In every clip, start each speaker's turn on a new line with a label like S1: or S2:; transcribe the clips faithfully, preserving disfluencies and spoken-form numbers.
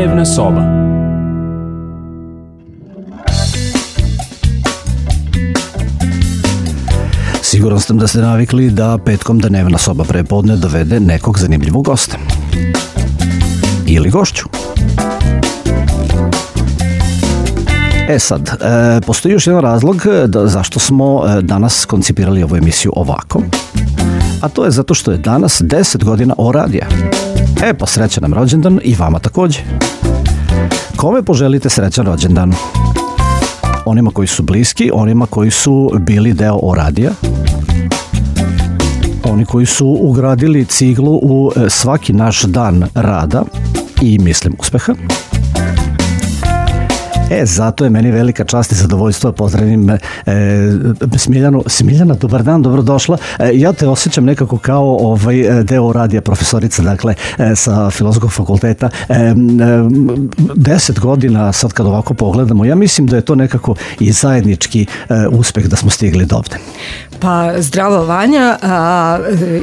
S1: Dnevna soba.
S2: Siguran sam da ste navikli da petkom Dnevna soba prepodne dovede nekog zanimljivog gosta. Ili gošću. E sad, e, postoji još jedan razlog da, zašto smo e, danas koncipirali ovu emisiju ovako, a to je zato što je danas deset godina O radija. E pa srećan nam rođendan i vama takođe. Kome poželite srećan rođendan? Onima koji su bliski, onima koji su bili deo O radija, oni koji su ugradili ciglu u svaki naš dan rada i mislim uspeha. E, zato je meni velika čast i zadovoljstvo da pozdravim e, Smiljanu. Smiljana, dobar dan, dobrodošla. E, ja te osjećam nekako kao ovaj deo radija profesorica, dakle, e, sa Filozofskog fakulteta. E, e, deset godina, sad kad ovako pogledamo, ja mislim da je to nekako i zajednički e, uspeh da smo stigli do ovde.
S3: Pa zdravo Vanja, a,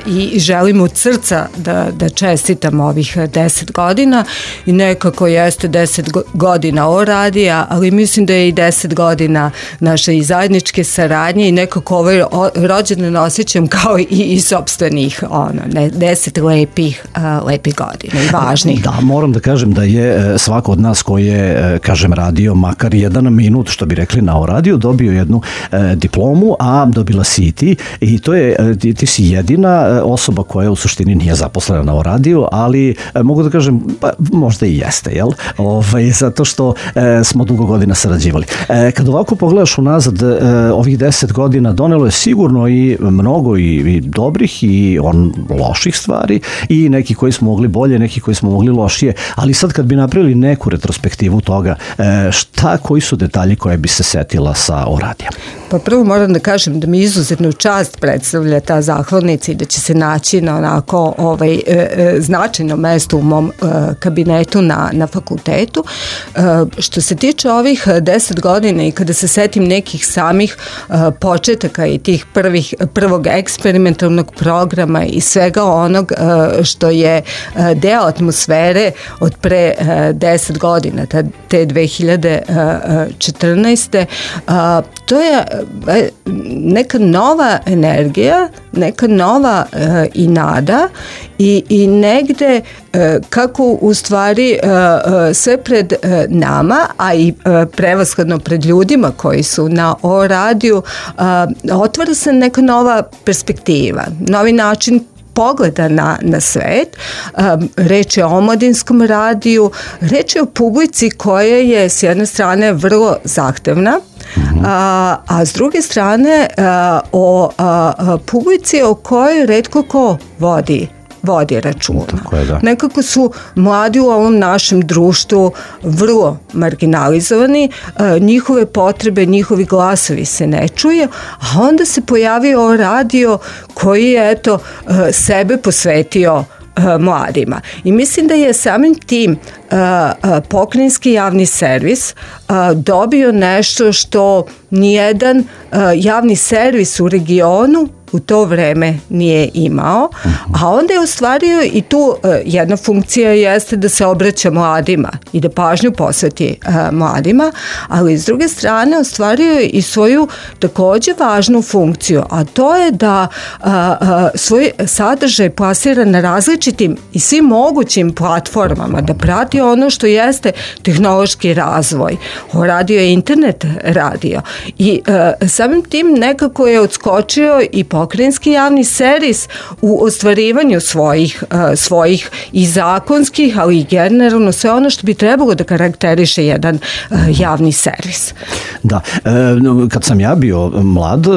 S3: i želim od srca da, da čestitam ovih deset godina i nekako jeste deset godina O radija, ali mislim da je i deset godina naše i zajedničke saradnje i nekako ovaj rođendan osjećam kao i, i sopstvenih ono, ne, deset lepih, a, lepih godina i važnih.
S2: Da, moram da kažem da je svako od nas koji je, kažem, radio makar jedan minut, što bi rekli na O radiju, dobio jednu e, diplomu, a dobila si i ti, i to je, ti, ti si jedina osoba koja u suštini nije zaposlena na O radiju, ali e, mogu da kažem, pa, možda i jeste, jel? Ovaj, zato što e, smo dugo godina sarađivali. E, kad ovako pogledaš unazad, e, ovih deset godina donelo je sigurno i mnogo i, i dobrih i on loših stvari i neki koji smo mogli bolje, neki koji smo mogli lošije, ali sad kad bi napravili neku retrospektivu toga, e, šta, koji su detalji koje bi se setila sa O radijom?
S3: Pa prvo moram da kažem da mi izuzetnu čast predstavlja ta zahvalnica i da će se naći na onako ovaj, e, e, značajno mesto u mom e, kabinetu na, na fakultetu. E, što se tiče ovih deset godina i kada se setim nekih samih e, početaka i tih prvih, prvog eksperimentalnog programa i svega onog e, što je e, deo atmosfere od pre e, deset godina, ta, te dve hiljade četrnaeste. E, to je neka nova energija, neka nova e, i nada i, i negde e, kako u stvari e, e, sve pred e, nama, a i e, prevashodno pred ljudima koji su na O radiju, e, otvara se neka nova perspektiva, novi način pogleda na, na svet. Um, reč je o omladinskom radiju, reč je o publici koja je s jedne strane vrlo zahtevna, mm-hmm. a, a s druge strane a, o a, a, publici o kojoj retko ko vodi vodi računa.
S2: Je, da. Nekako
S3: su mladi u ovom našem društvu vrlo marginalizovani, e, njihove potrebe, njihovi glasovi se ne čuje, a onda se pojavio O radio koji je eto e, sebe posvetio e, mladima. I mislim da je samim tim e, e, pokrajinski javni servis e, dobio nešto što nijedan e, javni servis u regionu u to vreme nije imao, a onda je ostvario i tu uh, jedna funkcija jeste da se obraća mladima i da pažnju posveti uh, mladima, ali s druge strane ostvario je i svoju takođe važnu funkciju, a to je da uh, uh, svoj sadržaj plasira na različitim i svim mogućim platformama, da prati ono što jeste tehnološki razvoj. O radio je internet radio i uh, samim tim nekako je odskočio i pokrajinski javni servis u ostvarivanju svojih, uh, svojih i zakonskih, ali i generalno sve ono što bi trebalo da karakteriše jedan uh, javni servis.
S2: Da, e, kad sam ja bio mlad, e,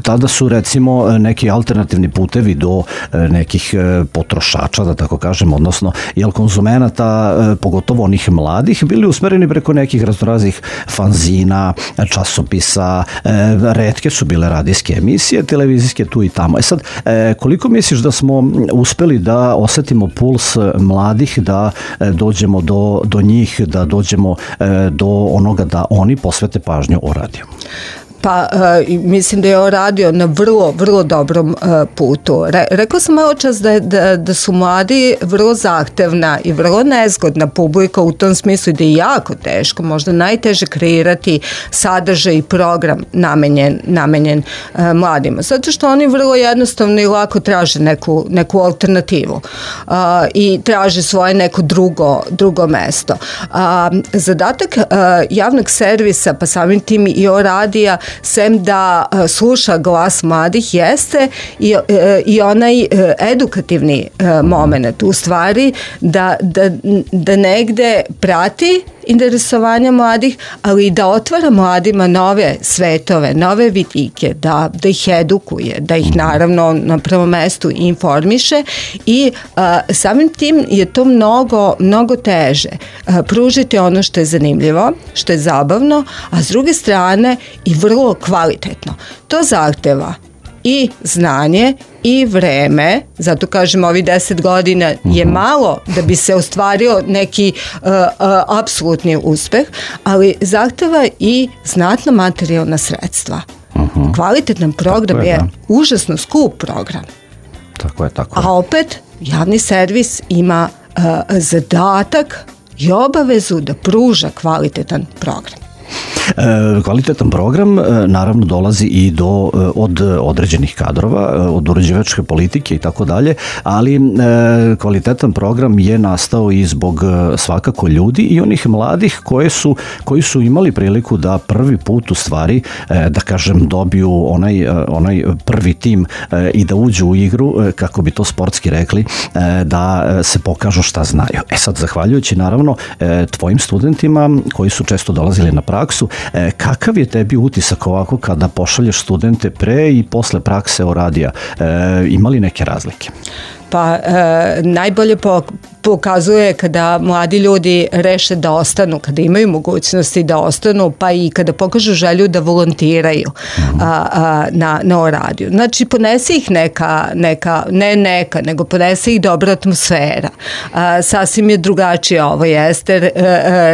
S2: tada su recimo neki alternativni putevi do e, nekih e, potrošača, da tako kažem, odnosno jel konzumenata, e, pogotovo onih mladih, bili usmereni preko nekih raznoraznih fanzina, časopisa, e, retke su bile radijske emisije, televizijske tu i tamo. E sad, e, koliko misliš da smo uspeli da osetimo puls mladih, da e, dođemo do, do njih, da dođemo e, do onoga da oni posvete pažnju O radiju?
S3: Pa uh, mislim da je on radio na vrlo, vrlo dobrom uh, putu. Re, rekao sam malo čas da, da, da su mladi vrlo zahtevna i vrlo nezgodna publika u tom smislu da je jako teško, možda najteže kreirati sadržaj i program namenjen, namenjen uh, mladima. Zato što oni vrlo jednostavno i lako traže neku, neku alternativu uh, i traže svoje neko drugo, drugo mesto. Uh, zadatak uh, javnog servisa, pa samim tim i o radija, sem da uh, sluša glas mladih, jeste i, uh, i onaj uh, edukativni uh, moment, u stvari da, da, da negde prati interesovanja mladih, ali i da otvara mladima nove svetove, nove vidike, da, da ih edukuje, da ih naravno na prvom mestu informiše i a, samim tim je to mnogo, mnogo teže. A, pružiti ono što je zanimljivo, što je zabavno, a s druge strane i vrlo kvalitetno. To zahteva i znanje i vreme, zato kažem ovi deset godina je malo da bi se ostvario neki uh, uh, apsolutni uspeh, ali zahteva i znatna materijalna sredstva. Uh-huh. Kvalitetan program je, je užasno skup program.
S2: Tako je, tako je.
S3: A opet javni servis ima uh, zadatak i obavezu da pruža kvalitetan program.
S2: E, kvalitetan program e, naravno dolazi i do e, od određenih kadrova, e, od uređivačke politike i tako dalje, ali e, kvalitetan program je nastao i zbog e, svakako ljudi i onih mladih koje su, koji su imali priliku da prvi put u stvari, e, da kažem, dobiju onaj, e, onaj prvi tim e, i da uđu u igru, e, kako bi to sportski rekli, e, da se pokažu šta znaju. E sad, zahvaljujući naravno e, tvojim studentima koji su često dolazili na praksu, E, kakav je tebi utisak ovako kada pošalješ studente pre i posle prakse o radija? E, ima li neke razlike?
S3: Pa e, najbolje po, pokazuje kada mladi ljudi reše da ostanu, kada imaju mogućnosti da ostanu, pa i kada pokažu želju da volontiraju a, a, na, na radiju. Znači, ponese ih neka, neka, ne neka, nego ponese ih dobra atmosfera. A, sasvim je drugačije, ovo jeste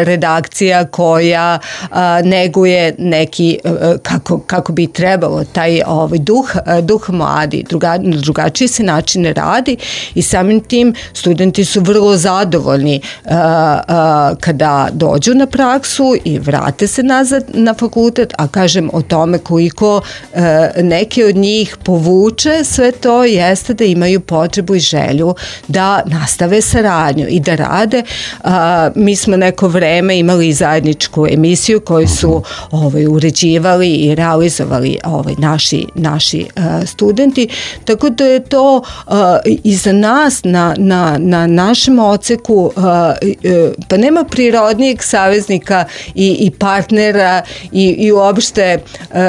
S3: redakcija koja a, neguje neki, a, kako, kako bi trebalo, taj ovaj, duh, duh mladi, druga, drugačiji se način radi i samim tim studenti su vrlo zadovoljni uh, uh, kada dođu na praksu i vrate se nazad na fakultet, a kažem o tome koliko uh, neke od njih povuče sve to jeste da imaju potrebu i želju da nastave saradnju i da rade. Uh, mi smo neko vreme imali zajedničku emisiju koju su ovaj, uređivali i realizovali ovaj, naši, naši uh, studenti, tako da je to uh, i za nas na, na, na našem oceku uh, uh, pa nema prirodnijeg saveznika i, i partnera i, i uopšte uh, uh,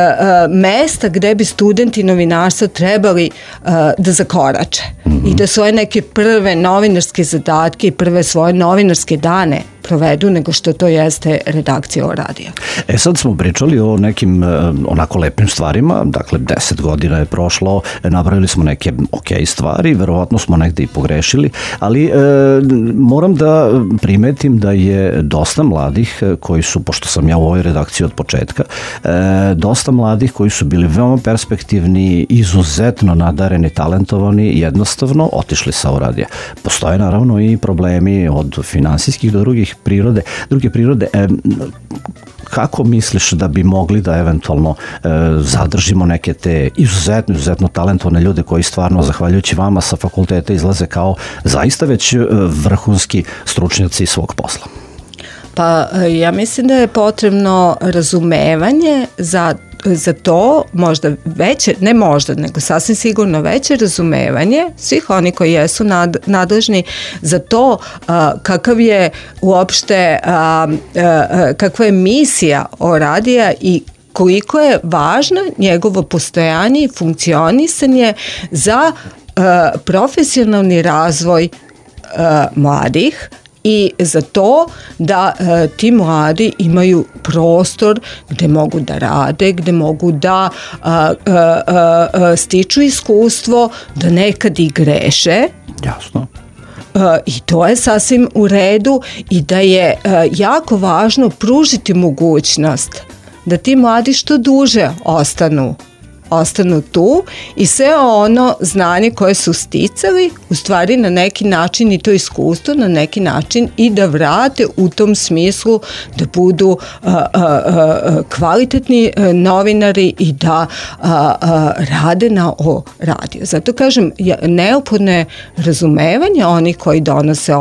S3: mesta gde bi studenti novinarstva trebali uh, da zakorače mm-hmm. i da svoje neke prve novinarske zadatke i prve svoje novinarske dane provedu nego što to jeste redakcija o radija.
S2: E sad smo pričali o nekim onako lepim stvarima, dakle deset godina je prošlo, napravili smo neke ok stvari, verovatno smo negde i pogrešili, ali e, moram da primetim da je dosta mladih koji su, pošto sam ja u ovoj redakciji od početka, e, dosta mladih koji su bili veoma perspektivni, izuzetno nadareni, talentovani, jednostavno otišli sa radija. Postoje naravno i problemi od finansijskih do drugih prirode, druge prirode. E, kako misliš da bi mogli da eventualno e, zadržimo neke te izuzetno, izuzetno talentovane ljude koji stvarno, zahvaljujući vama sa fakulteta, izlaze kao zaista već vrhunski stručnjaci svog posla?
S3: Pa ja mislim da je potrebno razumevanje za za to, možda veće, ne možda, nego sasvim sigurno veće razumevanje svih oni koji jesu nad, nadležni za to a, kakav je uopšte a, a, kakva je misija o radija i koliko je važno njegovo postojanje i funkcionisanje za a, profesionalni razvoj a, mladih i za to da e, ti mladi imaju prostor gde mogu da rade, gde mogu da a, a, a, stiču iskustvo, da nekad i greše.
S2: Jasno.
S3: Uh, i to je sasvim u redu i da je uh, jako važno pružiti mogućnost da ti mladi što duže ostanu ostanu tu i sve ono znanje koje su sticali u stvari na neki način i to iskustvo na neki način i da vrate u tom smislu da budu a, a, a, kvalitetni novinari i da a, a, rade na o radiju. Zato kažem, neophodno je razumevanje onih koji donose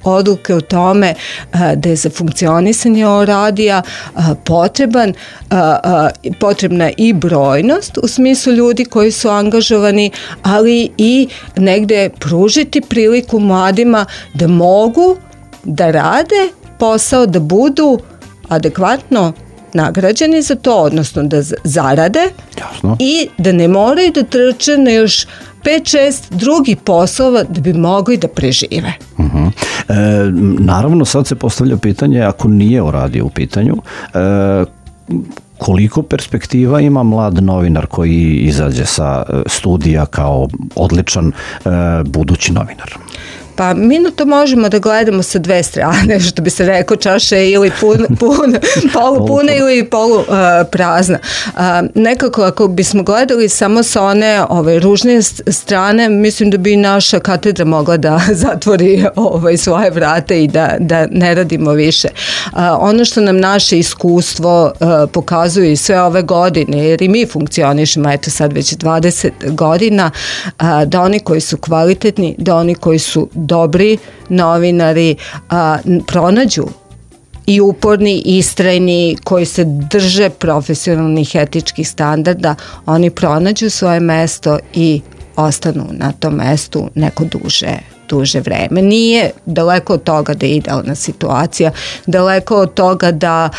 S3: odluke o tome a, da je za funkcionisanje o radija a, potreban a, a, potrebna i brojnost u smislu ljudi koji su angažovani, ali i negde pružiti priliku mladima da mogu da rade posao, da budu adekvatno nagrađeni za to, odnosno da zarade.
S2: Jasno.
S3: I da ne moraju da trče na još pet šest drugih poslova da bi mogli da prežive.
S2: Uh-huh. E, naravno, sad se postavlja pitanje, ako nije o radiju u pitanju, e, koliko perspektiva ima mlad novinar koji izađe sa studija kao odličan e, budući novinar?
S3: Pa mi na to možemo da gledamo sa dve strane, što bi se rekao, čaša je ili pun, pun, polu puna ili polu uh, prazna. Uh, nekako ako bismo gledali samo sa one ove, ružne strane, mislim da bi naša katedra mogla da zatvori ove, svoje vrate i da, da ne radimo više. Uh, ono što nam naše iskustvo uh, pokazuje i sve ove godine, jer i mi funkcionišemo, eto sad već dvadeset godina, uh, da oni koji su kvalitetni, da oni koji su dobri novinari a, pronađu i uporni, istrajni, koji se drže profesionalnih etičkih standarda, oni pronađu svoje mesto i ostanu na tom mestu neko duže duže vreme. Nije daleko od toga da je idealna situacija, daleko od toga da,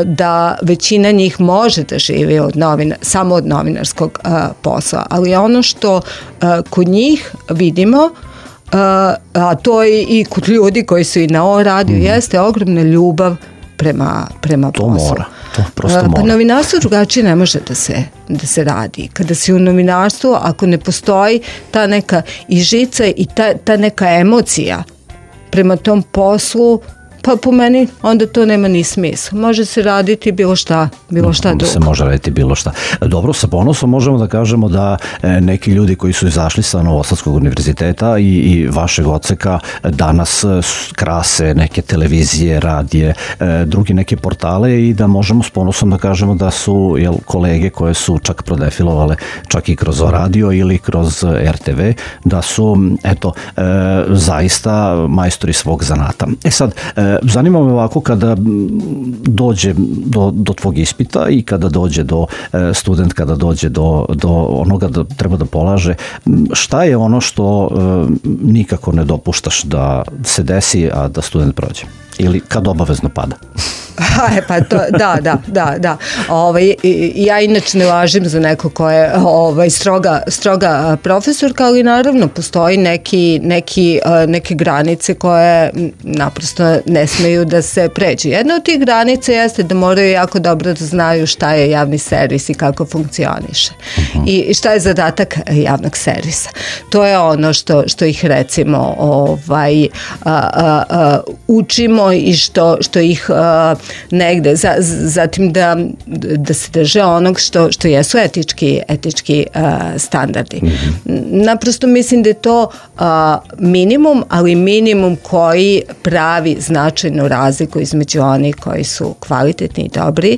S3: da većina njih može da živi od novina, samo od novinarskog posla, ali ono što kod njih vidimo, Uh, a to je i kod ljudi koji su i na O radiju, mm. jeste ogromna ljubav prema, prema
S2: to
S3: poslu.
S2: Mora, to prosto mora.
S3: Uh, pa novinarstvo drugačije ne može da se, da se radi. Kada si u novinarstvu, ako ne postoji ta neka i žica i ta, ta neka emocija prema tom poslu, pa po meni onda to nema ni smisla. Može se raditi bilo šta, bilo šta drugo.
S2: Se može raditi bilo šta. Dobro, sa ponosom možemo da kažemo da neki ljudi koji su izašli sa Novosadskog univerziteta i, i vašeg odseka danas krase neke televizije, radije, drugi neke portale i da možemo s ponosom da kažemo da su jel, kolege koje su čak prodefilovale čak i kroz radio ili kroz er te ve, da su eto, zaista majstori svog zanata. E sad, zanima me ovako kada dođe do, do tvog ispita i kada dođe do student, kada dođe do, do onoga da treba da polaže, šta je ono što nikako ne dopuštaš da se desi, a da student prođe? Ili kad obavezno pada?
S3: E, pa to, da, da, da, da. Ovaj, ja inače ne važim za neko ko je ovaj, stroga, stroga profesorka, ali naravno postoji neki, neki, neke granice koje naprosto ne smeju da se pređu. Jedna od tih granica jeste da moraju jako dobro da znaju šta je javni servis i kako funkcioniše. Uh-huh. I šta je zadatak javnog servisa. To je ono što, što ih recimo ovaj, a, a, a, učimo i što, što ih a, negde, za, zatim da, da se drže onog što, što jesu etički, etički uh, standardi. Mm-hmm. Naprosto mislim da je to uh, minimum, ali minimum koji pravi značajnu razliku između onih koji su kvalitetni i dobri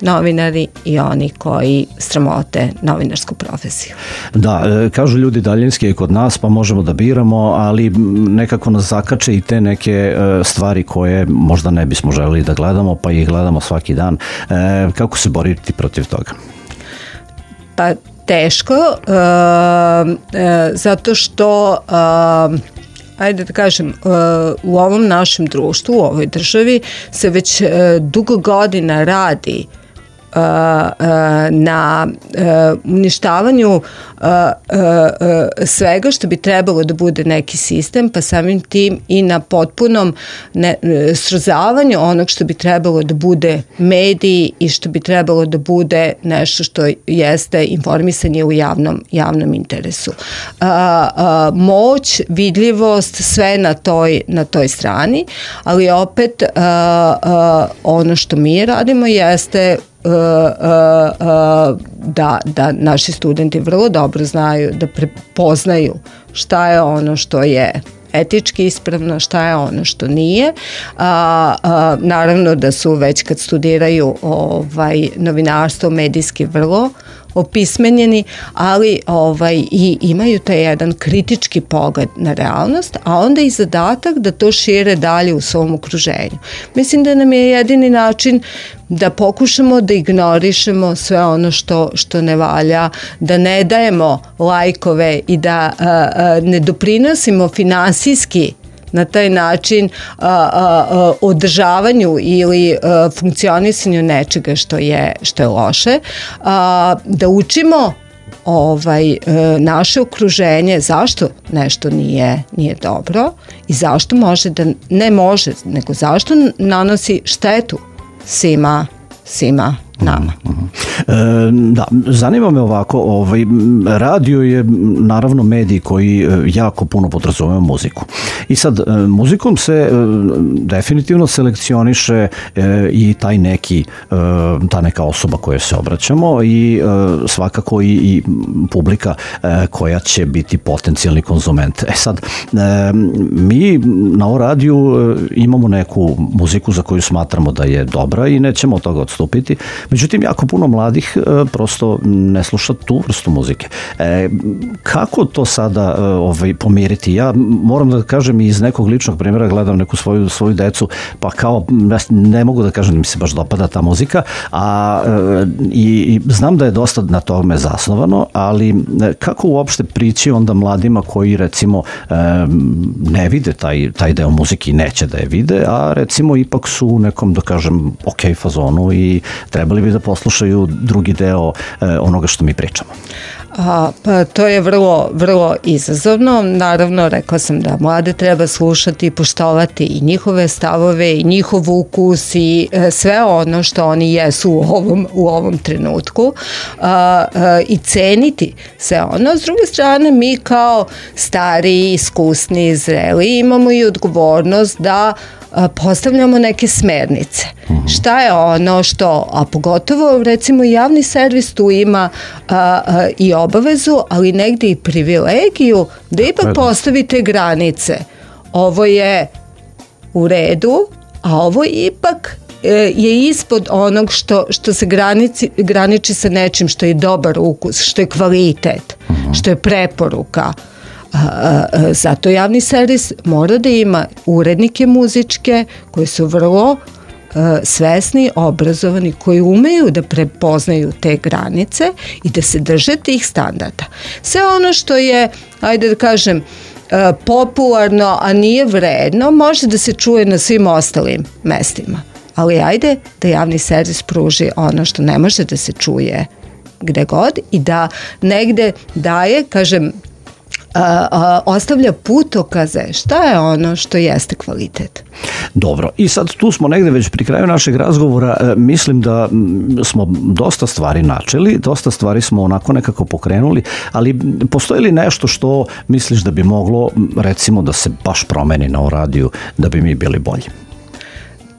S3: novinari i oni koji sramote novinarsku profesiju.
S2: Da, kažu ljudi daljinski je kod nas, pa možemo da biramo, ali nekako nas zakače i te neke stvari koje možda ne bismo želeli da gledamo, pa ih gledamo svaki dan. E, kako se boriti protiv toga?
S3: Pa teško, uh, uh, zato što uh, ajde da kažem, u ovom našem društvu, u ovoj državi se već dugo godina radi na uništavanju svega što bi trebalo da bude neki sistem, pa samim tim i na potpunom ne, srozavanju onog što bi trebalo da bude mediji i što bi trebalo da bude nešto što jeste informisanje u javnom, javnom interesu. Moć, vidljivost, sve na toj, na toj strani, ali opet ono što mi radimo jeste uh, uh, da, da naši studenti vrlo dobro znaju da prepoznaju šta je ono što je etički ispravno, šta je ono što nije. A, a, naravno da su već kad studiraju ovaj, novinarstvo medijski vrlo opismenjeni, ali ovaj, i imaju taj jedan kritički pogled na realnost, a onda i zadatak da to šire dalje u svom okruženju. Mislim da nam je jedini način da pokušamo da ignorišemo sve ono što, što ne valja, da ne dajemo lajkove i da a, a, ne doprinosimo finansijski na taj način a, a, a, održavanju ili a, funkcionisanju nečega što je, što je loše, a, da učimo ovaj, a, naše okruženje zašto nešto nije, nije dobro i zašto može da, ne može, nego zašto nanosi štetu svima, svima nama.
S2: E, da, zanima me ovako, ovaj, radio je naravno medij koji jako puno podrazumeva muziku. I sad, muzikom se e, definitivno selekcioniše e, i taj neki, e, ta neka osoba koja se obraćamo i e, svakako i, i publika e, koja će biti potencijalni konzument. E sad, e, mi na o radiju e, imamo neku muziku za koju smatramo da je dobra i nećemo od toga odstupiti. Međutim, jako puno mladih e, prosto ne sluša tu vrstu muzike. E, kako to sada e, ovaj, pomiriti? Ja moram da kažem iz nekog ličnog primjera, gledam neku svoju, svoju decu, pa kao ne mogu da kažem da mi se baš dopada ta muzika, a e, i, i znam da je dosta na tome zasnovano, ali e, kako uopšte prići onda mladima koji recimo e, ne vide taj, taj deo muzike i neće da je vide, a recimo ipak su u nekom, da kažem, ok fazonu i trebali bi da poslušaju drugi deo e, onoga što mi pričamo.
S3: A, pa to je vrlo, vrlo izazovno. Naravno, rekao sam da mlade treba slušati i poštovati i njihove stavove i njihov ukus i e, sve ono što oni jesu u ovom, u ovom trenutku a, a, i ceniti sve ono. S druge strane, mi kao stari, iskusni, zreli imamo i odgovornost da postavljamo neke smernice. Uh-huh. Šta je ono što, a pogotovo recimo javni servis tu ima a, a, i obavezu, ali negdje i privilegiju da ipak postavite granice. Ovo je u redu, a ovo ipak je ispod onog što, što se granici, graniči sa nečim što je dobar ukus, što je kvalitet, uh-huh. što je preporuka. Zato javni servis mora da ima urednike muzičke koji su vrlo uh, svesni, obrazovani, koji umeju da prepoznaju te granice i da se drže tih standarda. Sve ono što je, ajde da kažem, uh, popularno, a nije vredno, može da se čuje na svim ostalim mestima. Ali ajde da javni servis pruži ono što ne može da se čuje gde god i da negde daje, kažem, A, a, ostavlja putokaze šta je ono što jeste kvalitet.
S2: Dobro, i sad tu smo negde već pri kraju našeg razgovora, e, mislim da m, smo dosta stvari načeli, dosta stvari smo onako nekako pokrenuli, ali postoji li nešto što misliš da bi moglo recimo da se baš promeni na o radiju da bi mi bili bolji?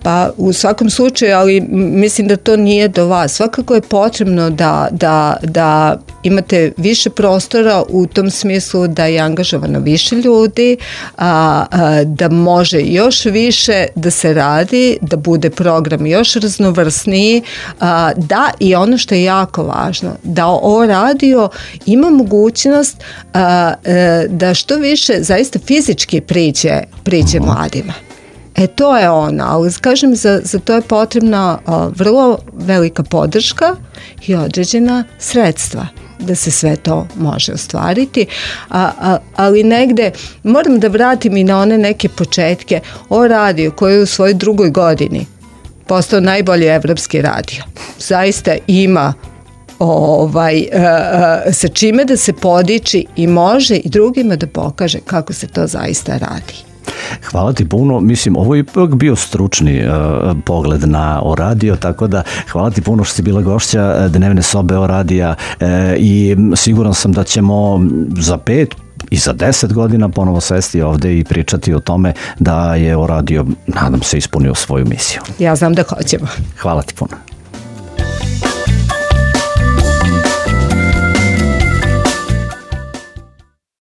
S3: Pa u svakom slučaju, ali mislim da to nije do vas. Svakako je potrebno da, da, da imate više prostora u tom smislu da je angažovano više ljudi, a, a, da može još više da se radi, da bude program još raznovrsniji, a, da i ono što je jako važno, da o radio ima mogućnost a, a, da što više zaista fizički priđe, priđe mladima. E to je ono, ali kažem, za, za to je potrebna a, vrlo velika podrška i određena sredstva da se sve to može ostvariti, a, a, ali negde moram da vratim i na one neke početke o radiju koji je u svojoj drugoj godini postao najbolji evropski radio. Zaista ima ovaj, a, a, sa čime da se podiči i može i drugima da pokaže kako se to zaista radi.
S2: Hvala ti puno, mislim ovo je ipak bio stručni uh, pogled na o radio, tako da hvala ti puno što si bila gošća dnevne sobe o radija uh, i siguran sam da ćemo za pet i za deset godina ponovo sesti ovde i pričati o tome da je o radio, nadam se, ispunio svoju misiju.
S3: Ja znam da hoćemo.
S2: Hvala ti puno.